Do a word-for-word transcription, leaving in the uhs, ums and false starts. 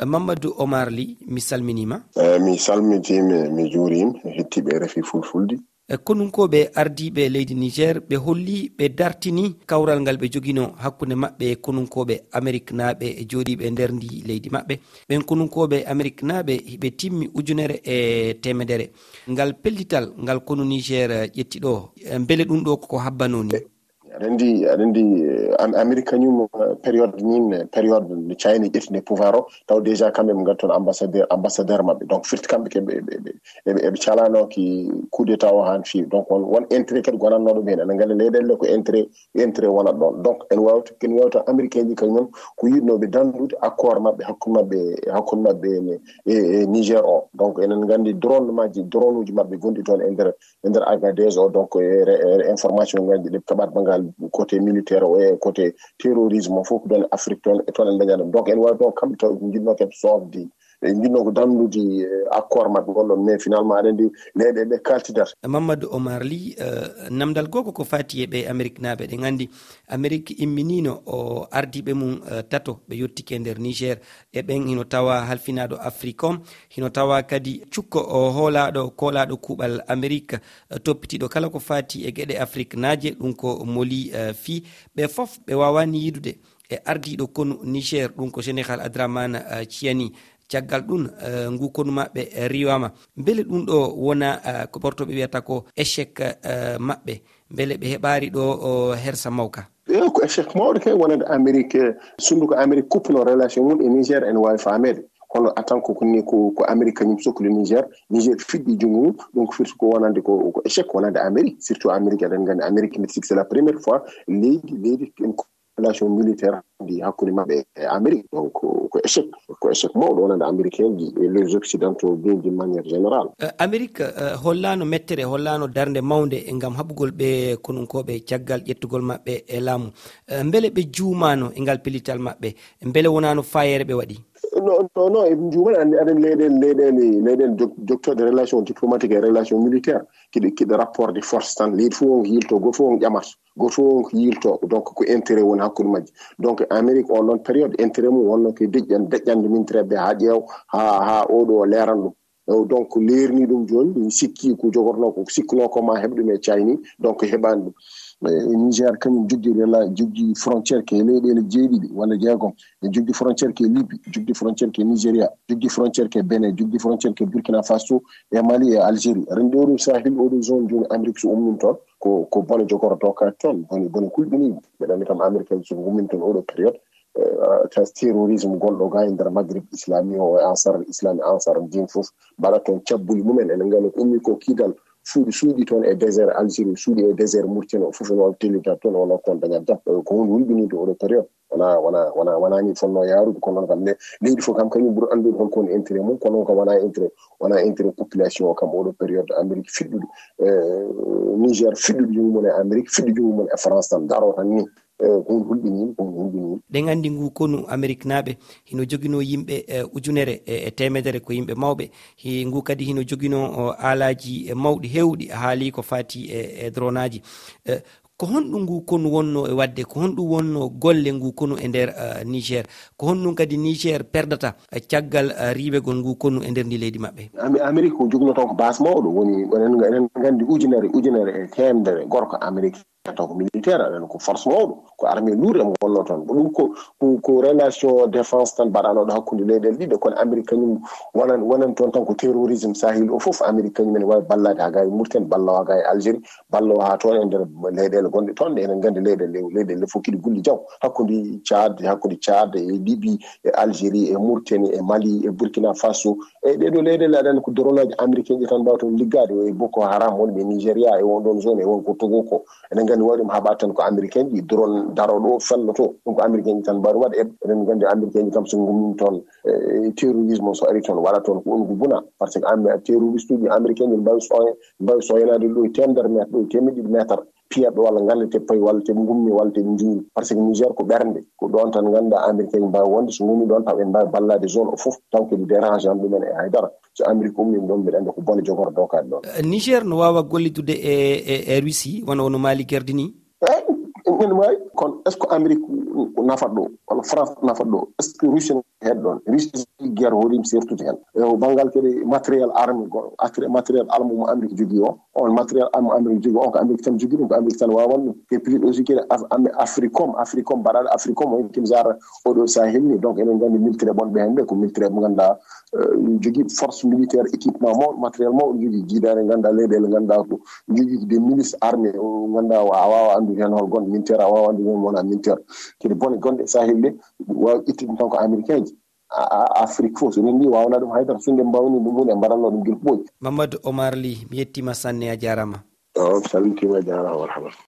Mamadou Omar Ly, mi salminiima. Eh, mi salmitiima, mi juuriima, hettiiɓe R F I Fulfulde. E konunkooɓe ardiiɓe leydi Niger, ɓe holli, ɓe dartini kawral ngal ɓe joginoo hakkunde maɓɓe e konunkooɓe Ameriknaaɓe e jooɗiiɓe nder ndi leydi maɓɓe. Ɓen konunkooɓe Ameriknaaɓe, ɓe timmi ujunere e teemedere. Ngal pellital ngal konu Niger ƴetti ɗo, e mbele ɗum ɗo ko habbanoo ni? Aɗa anndi, aɗa anndi, eh, Am-, Amerik kañum, eh, période nin, eh, période nde Chine ƴetti nde pouvoir o, taw déjà quand même ngal toon ambassadeur, ambassadeur maɓɓe. Donc firti kamɓe ke ɓe, ɓe, ɓe, ɓe, ɓe calano ki coup d'état o haan feewi. Donc won, won intérêt kadi gonannoo ɗum heen. Aɗa anndi leyɗeele ɗe ko intérêt, intérêt wonat ɗoon. Donc en wawta, en wawta Américain ji kañum ko yiɗnooɓe danndude accord maɓɓe, hakkunde maɓɓe, hakkunde maɓɓe e, e, e Niger o. Donc enen nganndi drone maji, drone uji maɓɓe gonɗi toon e nder e nder Agadez o, donc, e re-, e information ngaji ɗi ɓe kaɓat banngal côté militaire o e côté terrorisme o fof ko ɗon Afrique toon, e toon en dañat ɗum. Donc, en wawi ɗon kamɓe taw ɓe jiɗno kadi sofde, ɓe jiɗno ko danndude, eh, accord maɓɓe on ɗon, mais finalement aɗa anndi leyɗe ɓe kaltidat. Mamadou Omar Ly, eh, namdal goo ko ko fati e ɓe Ameriknaaɓe, ɗen anndi Amerik imminino o ardiiɓe mum, eh, tato ɓe yottike nder Niger, e ɓen hino tawa halfinaaɗo Afrique on, hino tawa kadi cukko o hoolaaɗo, koolaaɗo kuuɓal Amerik, eh, toppitiiɗo kala ko faati e geɗe Afriknaaje, ɗum ko Moli, eh, fii. Ɓe fof ɓe waawaani yiidude e ardiiɗo konu Niger, ɗum ko Général Adraman, eh, Chiani. Caggal ɗum, eh, ngu konu maɓɓe, eh, riiwaama. Mbele ɗum ɗo wona, eh, ko ɓortooɓe wiyata ko échec, eh, maɓɓe? Mbele ɓe heɓaari ɗo o hersa mawka? Eey, ko échec mawɗo kay wonande Amerik, eh, sunndu ko Amerik kuppuno relation mum e Niger, ene waawi faameede. Kono en tant que ko ni ko, ko Amerik kañum sokli Niger, Niger fiɗɗi junngo mum, donc firti ko wonande ko, ko échec wonande Amerik, surtout Amerik, eɗen nganndi Amerik, mbiɗa sikki c'est la première fois leydi, leydi en relation militaire ndi hakkunde maɓɓe e Amerik. Donc ko, ko échec, ko échec mawɗo wonande Américain ji et les Occidentaux bien d'une manière générale. Eh, Amerik, eh, hollaano mettere, hollaano darnde mawnde ngam haɓugol ɓe konunkooɓe caggal ƴettugol maɓɓe e laamu. Eh, mbele ɓe juumaano e ngal pellital maɓɓe? Mbele wonaano faayeere ɓe waɗi? Non, non, non, en juumaani, aɗa anndi leyɗeele, leyɗeele, leyɗeele jog-, jogtooɗe relation diplomatique e relation militaire, kiɗe, kiɗe rapport de force tan, leydi fof on ko yilto, gooto fof on ƴamata, gooto fof on ko yilto, donc ko intérêt woni hakkunde majji. Donc Amérique on ɗon période, intérêt mum wonno ko deƴƴan-, deƴƴande militaire ɓe haa ƴeew, haa, haa oɗo leeran ɗum. Eh, donc leerni ɗum jooni, mi sikki ko jogorno ko, sikkuno ko ma heɓ ɗum e Chine, donc heɓani ɗum. Eh, Niger kañum joggi rela-, joggi frontière ke leyɗeele jeeɗiɗi walla jeegom. E joggi frontière ke Libye, joggi frontière ke Nigeria, joggi frontière ke Benin, joggi frontière ke Burkina Faso, e Mali, e Algérie. Ren ɗo ɗum Sahel, oɗo zone jooni Amérique so ummin toon, ko, ko bone jogorto ka toon, bone, bone kulɓini. Mbeɗa anndi kam Amérique so ummin toon oɗo période, eh, tas terrorisme gonɗo ga e nder Maghrib Islami o, e Ansar Islam, e Ansar Din fof, mbaɗa toon cabbuli mumen. Ene nganndi ko ummi ko kidal, suuɗi, suuɗi toon e désert Algérie, suuɗi e désert Mauritanie, o fof ene wawi tellita toon, wona toon daña jam. Eh, ko hunde hulɓininde oɗo période. Wona, wona, wona, wona ni fonno yaarude, kono noon kam ne, leydi fof kam kañum ɓuri anndude hol ko woni intérêt mum, kono noon kam wona intérêt, wona intérêt population o kam oɗo période. Amérique fiɗɗude, eh, Niger fiɗɗude junngo mum e Amérique, fiɗɗude junngo mum e France tan, daro tan ni. Eh, ko ɗum hulɓini, ko ɗum hulɓini. Ɗen anndi ngu konu Ameriknaaɓe hino joginoo yimɓe, eh, ujunere e, e teemedere ko yimɓe mawɓe. Hi-, ngu kadi hino joginoo, o, aalaaji, eh, mawɗi heewɗi, a haali ko faati e, e dronaaji. Eh, ko honɗum ngu konu wonnoo e waɗde? Ko honɗum wonnoo golle ngu konu e nder, eh, Niger? Ko honɗum kadi Niger perdata, eh, caggal, eh, riiwegol ngu konu e nder ndi leydi maɓɓe? Ami-, Amerique ko joginoo toon ko base mawɗo, woni, enen, enen nganndi ujunere, ujunere e teemedere gorko Amerique. Taw ko militaire, aɗa anndi ko force mawɗo, ko armée lourde emo wonnoo toon. Ko ɗum ko, ko, ko relation défense tan mbaɗanooɗo hakkunde leyɗeele ɗiɗe, kono Amérique kañum wonan, wonan toon tan ko terrorisme Sahel o fof. Amérique kañum ene waawi ballaade haa gaa e Mauritanie, balloo haa gaa e Algérie, balloo haa toon e nder leyɗeele gonɗe toon, ɗe enen nganndi leyɗeele, leyɗeele fof kiɗi gulli jaw. Hakkunde Tchad, hakkunde Tchad e Libye, e Algérie, e Mauritanie, e Mali, e Burkina Faso, e ɗee ɗoo leyɗeele, aɗa anndi ko dronaaji américain ji tan mbaawa toon liggaade, e Boko Haram wonɓe Nigeria, e won ɗoon zone, e won ko Togo ko. Eɗen nganndi waɗi ɗum haɓaade tan ko américain ji, drone daro ɗo, fello to. Ɗum ko américain ji tan mbaawi ɗum waɗde. Eɗen nganndi américain ji kam so ngummin toon, e terrorisme so ari toon, waɗa toon ko ɗum ko buna. Par ce que am-, terroriste uji américain ji mbaawi soy-, mbaawi soynaade ɗo e teemedere mètre, ɗo e teemedde ɗiɗi mètre. Piyat ɗo walla ngannde te payi walla te ngummi walla te njiiri. Par ce que Niger ko ɓernde, ko ɗoon tan ngannduɗaa américain ji mbaawi wonde, so ngummi ɗoon taw en mbaawi ballaade zone o fof, taw kadi dérange an ɗumen e haydara. So Amérique ummiima ɗoon, mbiɗa anndi ko bone jogorɗo kadi ɗoon. Eh, Niger no waawa gollidude e, e, e Russie, wano no Mali gerdini? Eey, ene waawi. Kono est-ce que Amérique, nafat ɗo walla France nafat ɗo? Est ce que Russie heɗ ɗon? Russie guerre hoɗim sertude hen e o banngal kadi matériel arme goɗɗo, matériel arme mo Amérique jogui o, on matériel arme Amérique jogui on ko Amérique tan jogui ɗum, ko Amérique tan wawan ɗum. Et puis aussi kadi Africom, Africom mbaɗaɗo Africom o, kadi jara oɗo Sahel ni. Donc eɗen gandi militaire ɓonɓe hen ɓe ko militaire ɓe ganduɗa jogui force militaire, équipement mawɗo, matériel mawɗo jogui, jiidare ganduɗa leyɗele ganduɗa ko jogui des milices armées o ganduɗa a wawa andude hen hol gonɗo militaire, a wawa andude hen wona militaire. Kadi bone gonɗe Sahel ɗe wawi ƴettude tan ko américain ji. Afrique fof so rendi wawna ɗum haydara, so nde mbawni ɗum hunde mbaɗanno ɗum guila ɓooyi. Mamadou Omar Ly, mi yettima sanne, a jarama. O salmitima, jarama, marhaba.